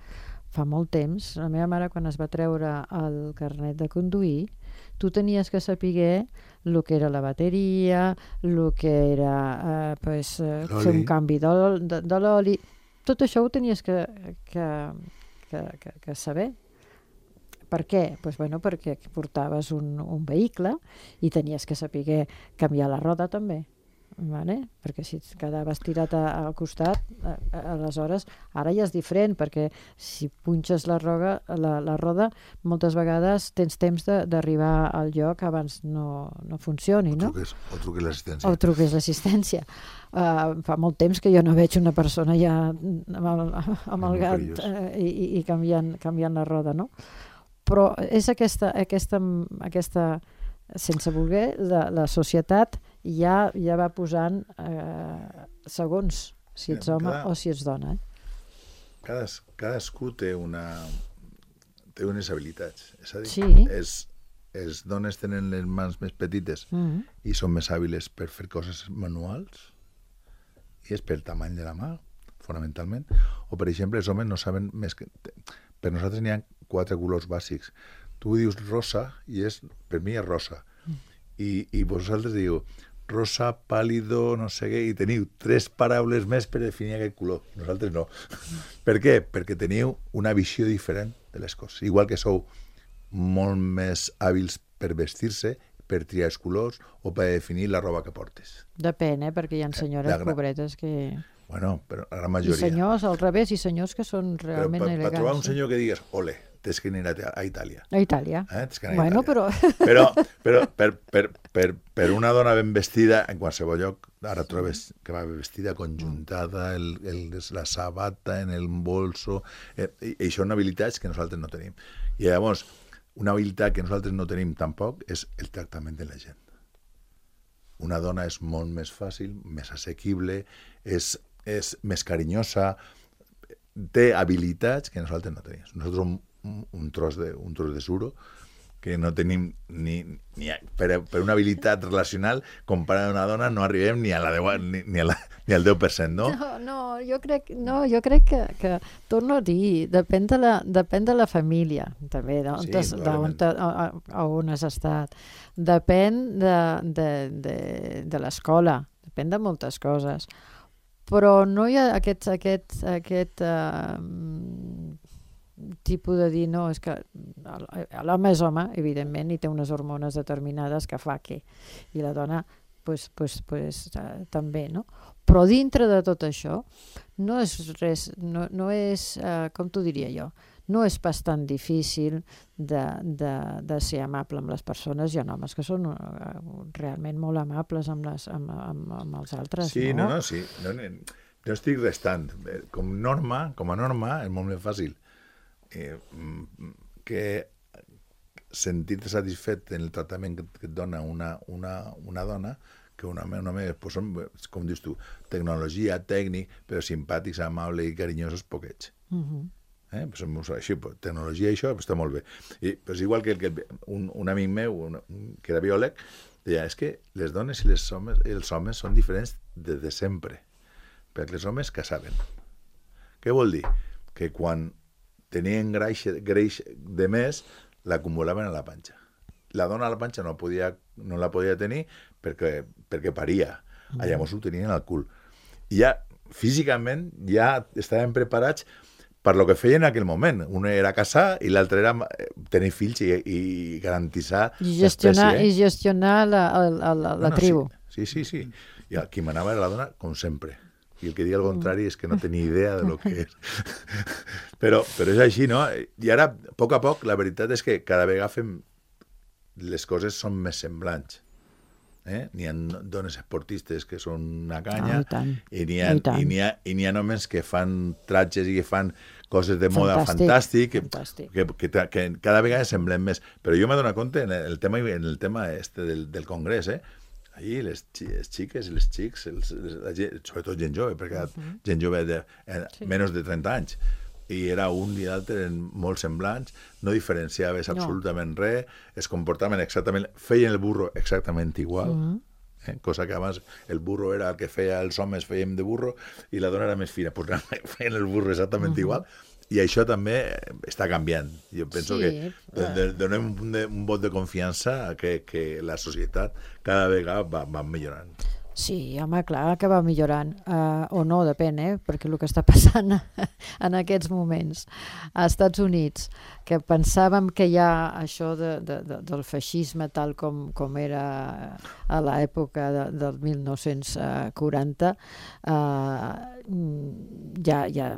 fa molt temps, la meva mare quan es va treure el carnet de conduir, tu tenies que saber el que era la bateria, el que era eh, pues, eh, fer un canvi de, de, de l'oli. Tot això ho tenies que, que, que, que, que saber. Per què? Pues, bueno, perquè portaves un, un vehicle i tenies que saber canviar la roda també. Vale? Perquè si et quedaves tirat a, al costat, a, a, aleshores, ara ja és diferent, perquè si punxes la, roga, la, la roda, moltes vegades tens temps d'arribar al lloc abans no, no funcioni, no? O truques, o truques l'assistència. O truques l'assistència. Uh, fa molt temps que jo no veig una persona ja amb el, amb el gat uh, i, i canviant, canviant la roda, no? Però és aquesta, aquesta, aquesta sense voler, la, la societat ja, ja va posant eh, segons si ets home cada, o si ets dona. Eh? Cades, cadascú té una té unes habilitats. És a dir, sí. és, les dones tenen les mans més petites mm-hmm. i són més hàbiles per fer coses manuals i és per tamany de la mà, fonamentalment. O, per exemple, els homes no saben més que... Per nosaltres n'hi ha quatre colors bàsics. Tu dius rosa i és, per mi és rosa. Mm. I, i vosaltres diu rosa, pàl·lido, no sé què, i teniu tres paraules més per definir aquest color. Nosaltres no. Mm. Per què? Perquè teniu una visió diferent de les coses. Igual que sou molt més hàbils per vestir-se, per triar els colors o per definir la roba que portes. Depèn, eh? Perquè hi ha senyores gran... pobretes que... Bueno, però la gran majoria. I senyors, al revés, i senyors que són realment però per, elegants. Per trobar un senyor que digues, ole, tens que anar a Itàlia. A Itàlia. Eh? Tens que anar bueno, a Itàlia. però... Però, però per, per, per, per una dona ben vestida, en qualsevol lloc, ara trobes que va vestida conjuntada, el, el, la sabata en el bolso, eh, i, i això són habilitats que nosaltres no tenim. I llavors, una habilitat que nosaltres no tenim tampoc és el tractament de la gent. Una dona és molt més fàcil, més assequible, és, és més carinyosa, té habilitats que nosaltres no tenim. Nosaltres un, un, tros de, un tros de suro que no tenim ni, ni a, per, per una habilitat relacional comparada a una dona no arribem ni, a la deu, ni, ni, a la, ni al deu per cent, no? No, no, jo crec, no, jo crec que, que torno a dir, depèn de la, depèn de la família, també, d'on sí, t'has- d'on t'ha- a, a, a on has estat. Depèn de, de, de, de l'escola, depèn de moltes coses. Però no hi ha aquest, aquest, aquest uh, tipus de dir, no, és que l'home és home, evidentment, i té unes hormones determinades que fa que, i la dona pues, pues, pues, uh, també, no? Però dintre de tot això no és res, no, no és, uh, com t'ho diria jo, no és pas tan difícil de, de, de ser amable amb les persones. Hi ha homes que són uh, realment molt amables amb, les, amb, amb, amb els altres, Sí, no? no, no, sí. No, no, no estic restant. Com norma, com a norma, és molt més fàcil eh, que sentir-te satisfet en el tractament que, que et dona una, una, una dona que un home, un home pues són, com dius tu, tecnologia, tècnic, però simpàtics, amables i carinyosos, poquets. Uh-huh. Eh? Pues, som així, pues, tecnologia i això pues, està molt bé. I, pues, igual que, que un, un amic meu, un, que era biòleg, deia, és que les dones i les homes, els homes són diferents des de sempre, perquè els homes caçaven. Què vol dir? Que quan tenien greix, greix de més, l'acumulaven a la panxa. La dona a la panxa no, podia, no la podia tenir perquè, perquè paria. Mm. Llavors ho tenien al cul. I ja, físicament, ja estaven preparats per lo que feien en aquell moment. Un era casar i l'altre era tenir fills i, i garantitzar I gestionar, l'espècie. i gestionar la, la, la, la No, no, tribu. Sí, sí, sí. sí. I qui manava era la dona, com sempre. I el que digui el contrari és que no tenia idea de lo que és. però, però és així, no? I ara, a poc a poc, la veritat és que cada vegada fem... les coses són més semblants. Eh? N'hi ha dones esportistes que són una canya Oh, i tant. i n'hi ha, I tant. i n'hi ha, i n'hi ha homes que fan tratges i que fan coses de moda Fantàstic, fantàstic, fantàstic. que, que, que, que cada vegada semblen més. Però jo m'he donat compte en el tema, en el tema este del, del congrés, eh? Allí les, les xiques i les xics, els, les, la gent, sobretot gent jove, perquè uh-huh. gent jove de eh, Sí. menys de trenta anys, i era un i l'altre molt semblants, no diferenciaves No. absolutament res, es comportaven exactament, feien el burro exactament igual, Mhm. eh? cosa que abans el burro era el que feia els homes, fèiem de burro, i la dona era més fina, pues feien el burro exactament Mhm. igual, I això també està canviant. Jo penso Sí, que de, donem un, de, un vot de confiança a que, que la societat cada vegada va, va millorant. Sí, home, clar que va millorant, uh, o no, depèn, eh? Perquè el que està passant en aquests moments als Estats Units, que pensàvem que hi ha això de, de, de, del feixisme tal com, com era a l'època de, del mil nou-cents quaranta, uh, ja, ja,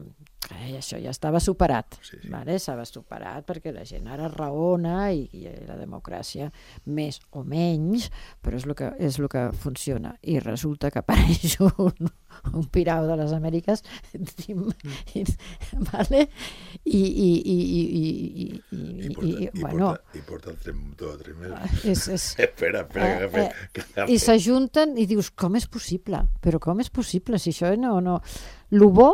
eh, això ja estava superat, Sí, sí. vale? Estava superat perquè la gent ara raona i, i la democràcia més o menys, però és el que, és el que funciona. I resulta que apareix un, un pirau de les Amèriques i, i, vale? I, i, i, i, i, i, I i, porta, i, i bueno, porta, i porta tres, dos o tres mesos. és, és, espera, espera, que agafi, eh, que agafi. i s'ajunten i dius, com és possible? Però com és possible? Si això no... no... Lo bo,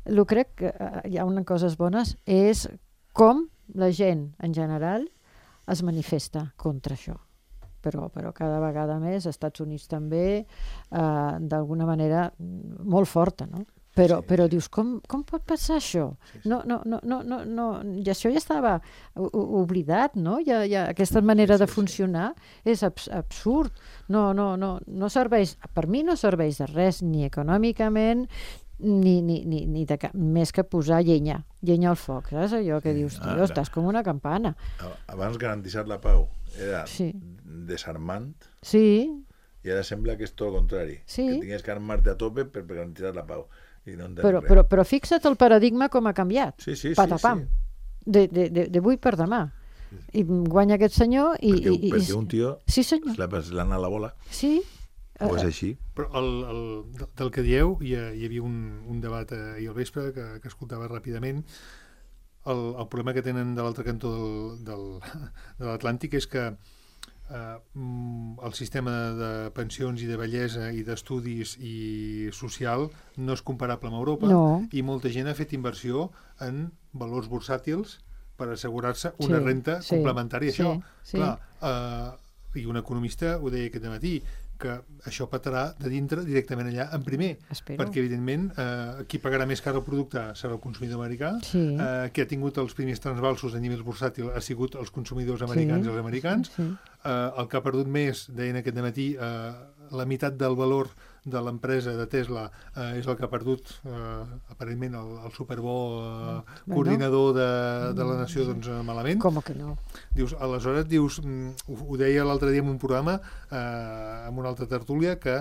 lo crec que eh, hi ha unes coses bones, és com la gent, en general, es manifesta contra això. Però, però cada vegada més, als Estats Units també, eh, d'alguna manera molt forta, no? Però, Sí, però sí. dius, com, com pot passar això? Sí, sí. No, no, no, no, no, no, i això ja estava o- o- oblidat, no? Ja, ja, aquesta manera Sí, de sí. funcionar és abs absurd. No, no, no, no serveix, per mi no serveix de res, ni econòmicament, ni, ni, ni, ni de cap, més que posar llenya, llenya al foc, saps? Allò que Sí, dius, tio, ara. estàs com una campana. Abans garantir la pau era Sí. desarmant Sí, i ara sembla que és tot el contrari. Sí. Que tingues que armar-te a tope per, per garantir la pau. I no entenem però, res. però, però fixa't el paradigma com ha canviat. Sí, sí, sí, Patapam. sí. De, de, de, d'avui per demà. I guanya aquest senyor i... Perquè, i, i perquè un tio Sí, senyor. se l'ha se l'ha anat la bola. Sí. O és Eh, així. Però el, el, del que dieu, hi, ha, hi havia un, un debat ahir al vespre que, que escoltava ràpidament. El, el problema que tenen de l'altre cantó del, del, de l'Atlàntic és que eh, mm, el sistema de pensions i de bellesa i d'estudis i social no és comparable amb Europa, No. i molta gent ha fet inversió en valors bursàtils per assegurar-se una Sí, renta sí, complementària a sí, això. sí. Clar, eh, i un economista ho deia aquest matí, que això petarà de dintre directament allà en primer, Espero. perquè evidentment eh, qui pagarà més car el producte serà el consumidor americà, Sí. eh, qui ha tingut els primers transvalsos a nivell bursàtil ha sigut els consumidors americans Sí. i els americans, Sí. eh, el que ha perdut més, deien aquest matí, eh, la meitat del valor de l'empresa de Tesla eh, és el que ha perdut eh, aparentment el, el superbo eh, Bueno. coordinador de, de la nació, doncs eh, malament. Com que no? Dius, aleshores, dius, mm, ho, ho deia l'altre dia en un programa, eh, en una altra tertúlia, que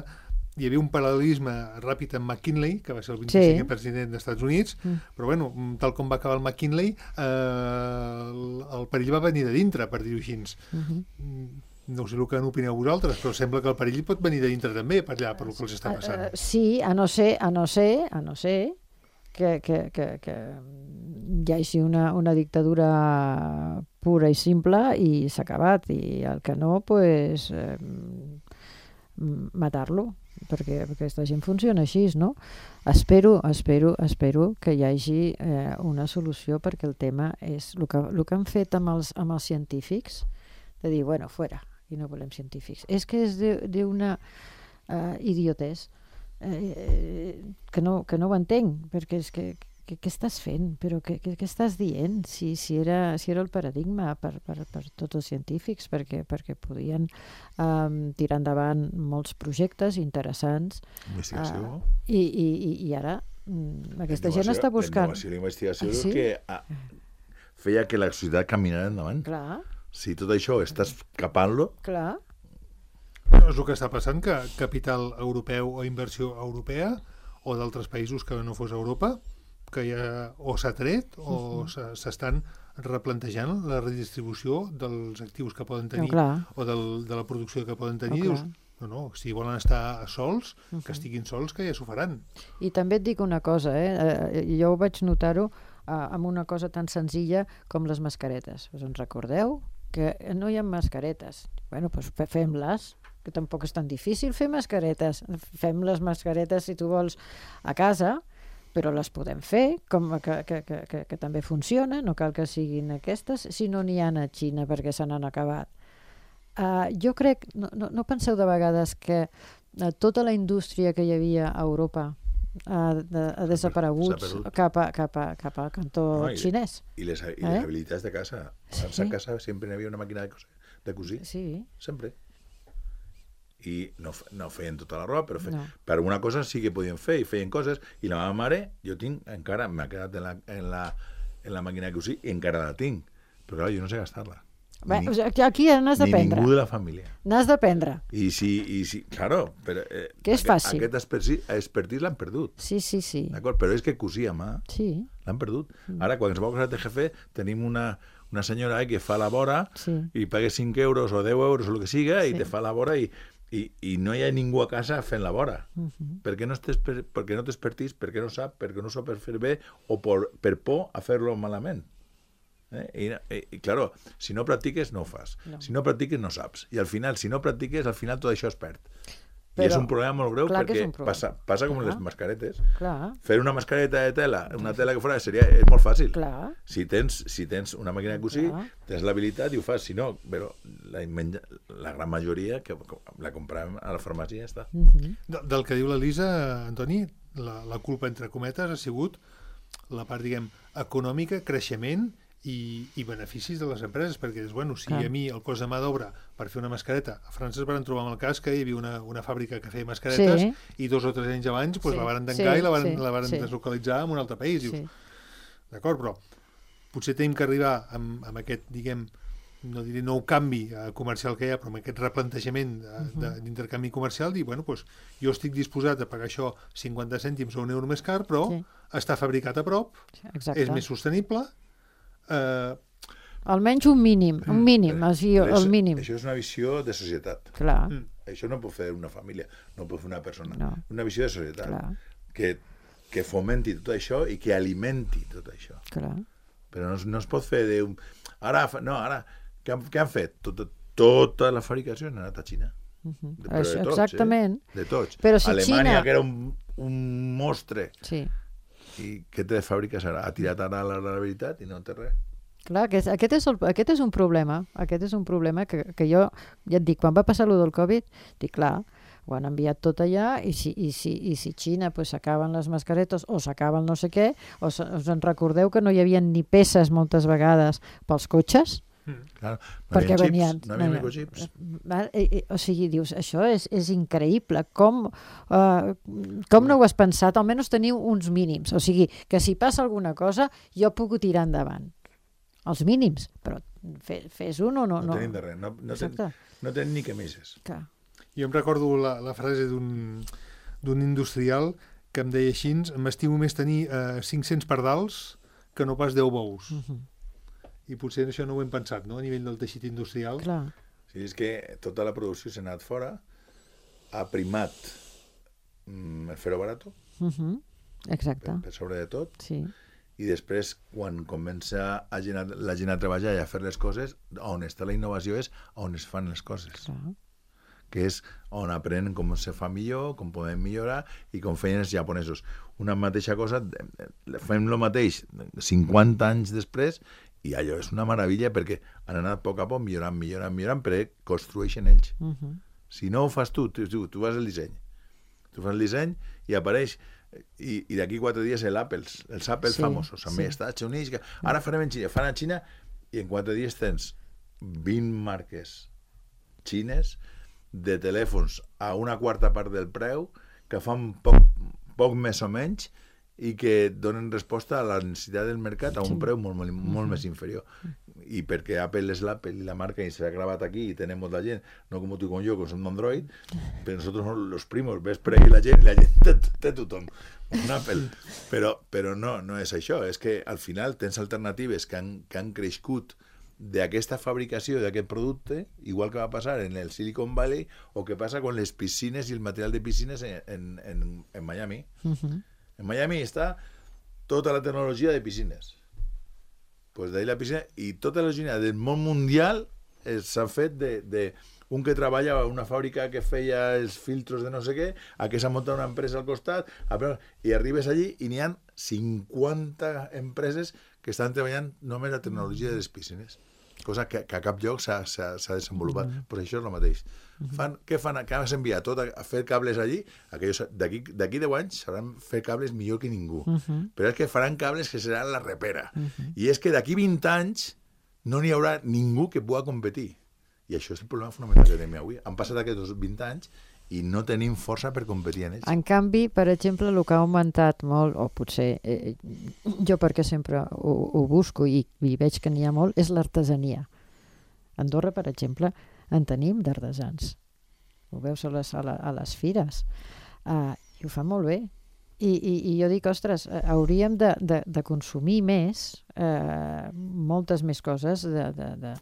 hi havia un paral·lelisme ràpid amb McKinley, que va ser el vint-i-cinquè Sí. president dels Estats Units, Mm. però bueno, mm, tal com va acabar el McKinley, eh, el, el perill va venir de dintre, per dir-ho així. Mhm. Mm, No sé el que n'opineu vosaltres, però sembla que el perill pot venir de dintre també, per allà, per el que els està passant. Eh, eh, sí, a no ser, a no ser, a no ser que, que, que, que hi hagi una, una dictadura pura i simple i s'ha acabat, i el que no, pues, eh, matar-lo, perquè, perquè aquesta gent funciona així, no? Espero, espero, espero que hi hagi eh, una solució, perquè el tema és el que, el que han fet amb els, amb els científics, de dir, bueno, fuera, i no volem científics. És que és d'una uh, idiotès eh, que, no, que no ho entenc, perquè és que què, què estàs fent? Però què, què, què estàs dient? Si, si, era, si era el paradigma per, per, per tots els científics, perquè, perquè podien um, tirar endavant molts projectes interessants, Investigació. uh, i, i, i, i ara mm, aquesta gent està buscant... La innovació i la investigació Ah, és sí? el que ah, feia que la societat caminara endavant. Clar, Si tot això estàs capant-lo, clar. No, és el que està passant, que capital europeu o inversió europea o d'altres països que no fos Europa, que ja o s'ha tret o s'estan replantejant la redistribució dels actius que poden tenir No, clar. o del, de la producció que poden tenir. No, Dius, clar. no, no, si volen estar sols, que estiguin sols, que ja s'ho faran. I també et dic una cosa, eh? eh jo ho vaig notar-ho eh, amb una cosa tan senzilla com les mascaretes. Us en recordeu? Que no hi ha mascaretes. Bueno, doncs fem-les, que tampoc és tan difícil fer mascaretes. Fem les mascaretes, si tu vols, a casa, però les podem fer, com que, que, que, que, que també funciona, no cal que siguin aquestes, si no n'hi ha a Xina perquè se n'han acabat. Uh, jo crec, no, no, no penseu de vegades que uh, tota la indústria que hi havia a Europa ha, de, ha desaparegut cap, a, cap, a, cap al cantó no, i, xinès. I les, i les eh? habilitats de casa. Sí. A casa sempre hi havia una màquina de cosir, de cosir. Sí. Sempre. I no, no feien tota la roba, però fe... no. per alguna cosa sí que podien fer, i feien coses, i la meva mare, jo tinc, encara m'ha quedat en la, en, la, en la màquina de cosir, i encara la tinc, però clar, jo no sé gastar-la. Bé, ni, aquí n'has d'aprendre. Ni ningú de la família. N'has d'aprendre. I si, i si, claro, però, eh, que és fàcil. Aquest expertís, expertís l'han perdut. Sí, sí, sí. D'acord, però és que cosir a mà sí. l'han perdut. Mm. Ara, quan qualsevol cosa de jefe, tenim una, una senyora eh, que fa la vora sí. i paga cinc euros o deu euros o el que siga sí. i te fa la vora i, i, i no hi ha ningú a casa fent la vora. Uh-huh. Per què no t'expertís, per què no sap, perquè no ho sap per fer bé o per, per por a fer-lo malament. Eh? I, i, i, claro, si no practiques, no ho fas. No. Si no practiques, no saps. I al final, si no practiques, al final tot això es perd. Però, I és un problema molt greu perquè passa, passa com clar. Les mascaretes. Clar. Fer una mascareta de tela, una tela que fora, seria, és molt fàcil. Clar. Si tens, si tens una màquina de cosir, clar. Tens l'habilitat i ho fas. Si no, però la, la gran majoria que la comprem a la farmàcia ja està. Uh-huh. De, del que diu l'Elisa, Antoni, la, la culpa, entre cometes, ha sigut la part, diguem, econòmica, creixement i, i beneficis de les empreses, perquè dius, bueno, si clar. A mi el cost de mà d'obra per fer una mascareta, a França es van trobar amb el cas que hi havia una, una fàbrica que feia mascaretes sí. i dos o tres anys abans pues, sí. la van tancar sí, i la van, sí, la van sí. deslocalitzar en un altre país. Dius, sí. D'acord, però potser tenim que arribar amb, amb aquest, diguem, no diré nou canvi comercial que hi ha, però amb aquest replantejament d'intercanvi uh-huh. comercial, dir, bueno, pues, jo estic disposat a pagar això cinquanta cèntims o un euro més car, però sí. està fabricat a prop, exacte. És més sostenible. Uh... Almenys un mínim, un mínim, mm. així, el mínim. Això és una visió de societat. Clar. Mm. Això no pot fer una família, no pot fer una persona. No. Una visió de societat. Clar. Que, que fomenti tot això i que alimenti tot això. Clar. Però no, no es pot fer de... Un... Ara, no, ara, què han, què han fet? Tot, tota la fabricació ha anat a Xina. Uh-huh. De, però de tots, exactament. Eh? De tots. Però si Alemanya, Xina... que era un, un monstre. Sí. I què té de fàbriques ara? Ha tirat ara la, la veritat i no té res. Clar, aquest, aquest, és el, aquest és un problema, aquest és un problema que, que jo, ja et dic, quan va passar allò del Covid, dic, clar, ho han enviat tot allà i si, i si, i si Xina pues, s'acaben les mascaretes o s'acaben no sé què, o us en recordeu que no hi havia ni peces moltes vegades pels cotxes? Mm. Clar, no perquè xips, venien, no havia microchips. O sigui, dius, això és, és increïble. Com, uh, com no ho has pensat? Almenys teniu uns mínims. O sigui, que si passa alguna cosa, jo puc tirar endavant. Els mínims, però fe, fes un o no. No, no tenim de res, no, no, ten, no tenim ni camises. Clar. Jo em recordo la, la frase d'un d'un industrial que em deia així, m'estimo més tenir uh, cinc-cents pardals que no pas deu bous. Uh-huh. I potser això no ho hem pensat, no?, a nivell del teixit industrial. Clar. Sí, és que tota la producció s'ha anat fora, ha primat mm, el ferro barato, uh-huh. Exacte. Per, per sobre de tot, sí. I després, quan comença a gent, la gent a treballar i a fer les coses, on està la innovació és on es fan les coses. Clar. Que és on aprenen com se fa millor, com podem millorar i com feien els japonesos. Una mateixa cosa, fem el mateix cinquanta anys després i allò és una meravella perquè han anat a poc a poc millorant, millorant, millorant, però construeixen ells. Uh-huh. Si no ho fas tu, tu, tu, tu fas el disseny. Tu fas el disseny i apareix i, i d'aquí quatre dies l'Apple, els Apple sí, famosos, també sí. Estats Units, que ara farem en Xina, fan a Xina i en quatre dies tens vint marques xines de telèfons a una quarta part del preu que fan poc, poc més o menys i que donen resposta a la necessitat del mercat a un preu molt, molt, molt més inferior. I perquè Apple és l'Apple i la marca i s'ha gravat aquí i tenem molta gent, no com tu i com jo, que som d'Android, però nosaltres som los primos, ves per ahí la gent i la gent té, té tothom un Apple. Però, però no, no és això, és que al final tens alternatives que han, que han crescut d'aquesta fabricació d'aquest producte, igual que va passar en el Silicon Valley o que passa con les piscines i el material de piscines en, en, en, en Miami. Uh-huh. En Miami està tota la tecnologia de piscines. Pues d'ahí la piscina i tota la piscina del món mundial s'ha fet de, de un que treballa a una fàbrica que feia els filtros de no sé què, a que s'ha muntat una empresa al costat, i arribes allí i n'hi ha cinquanta empreses que estan treballant només la tecnologia de les piscines. cosa que, que a cap lloc s'ha desenvolupat. Mm -hmm. Pues això és el mateix. Mm -hmm. fan, què fan? Que has enviat tot a, a fer cables allí, d'aquí deu anys sabran fer cables millor que ningú. Mm -hmm. Però és que faran cables que seran la repera. Mm -hmm. I és que d'aquí vint anys no n'hi haurà ningú que pugui competir. I això és el problema fonamental que tenim avui. Han passat aquests vint anys i no tenim força per competir en ells. En canvi, per exemple, el que ha augmentat molt, o potser eh, jo perquè sempre ho, ho busco i, i veig que n'hi ha molt, és l'artesania. A Andorra, per exemple, en tenim d'artesans. Ho veus a les, a la, a les fires. Uh, I ho fa molt bé. I, i, i jo dic, ostres, hauríem de, de, de consumir més, eh, moltes més coses de, de, de,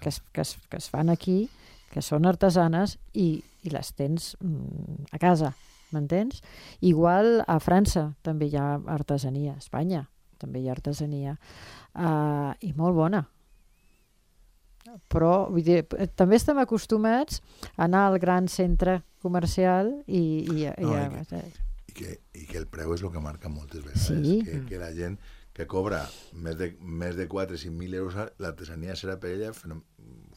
que, es, que, es, que es fan aquí, que són artesanes i, i les tens mm, a casa, m'entens? Igual a França també hi ha artesania, a Espanya també hi ha artesania, uh, i molt bona. Però vull dir, també estem acostumats a anar al gran centre comercial i... i, no, i, i, que, i, que, i que el preu és el que marca moltes vegades. Sí. Que, que la gent que cobra més de, més de quatre o cinc mil euros, l'artesania serà per ella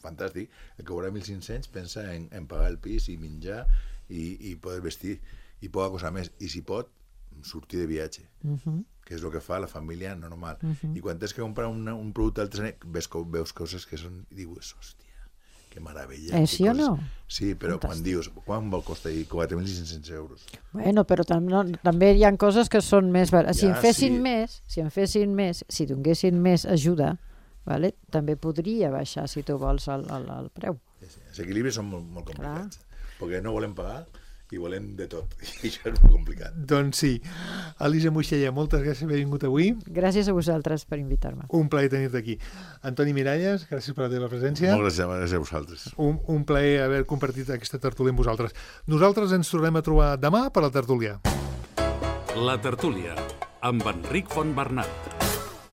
fantàstic. El que cobra mil cinc-cents pensa en, en pagar el pis i menjar i, i poder vestir i poca cosa més. I si pot, sortir de viatge, uh-huh. que és el que fa la família normal. Uh-huh. I quan tens que comprar una, un producte d'artesania, veus, veus coses que són... I dius, hòstia, que meravella. Eh, sí o no? Sí, però fantàstic. Quan dius, quan vol costar quatre mil cinc-cents euros? Bueno, però tam no, també hi ha coses que són més barates. Si ja, en fessin sí. més, si en fessin més, si donessin més ajuda, vale? També podria baixar, si tu vols, el, el, el preu. Sí, sí. Els equilibris són molt, molt complicats, Clar. perquè no volem pagar i volem de tot, i això és molt complicat. Doncs sí. Elisa Moixella, moltes gràcies per haver vingut avui. Gràcies a vosaltres per invitar-me. Un plaer tenir-te aquí. Antoni Miralles, gràcies per la teva presència. Molt gràcies, gràcies a vosaltres. Un, un plaer haver compartit aquesta tertúlia amb vosaltres. Nosaltres ens tornem a trobar demà per la tertúlia. La tertúlia, amb Enric Fontbernat.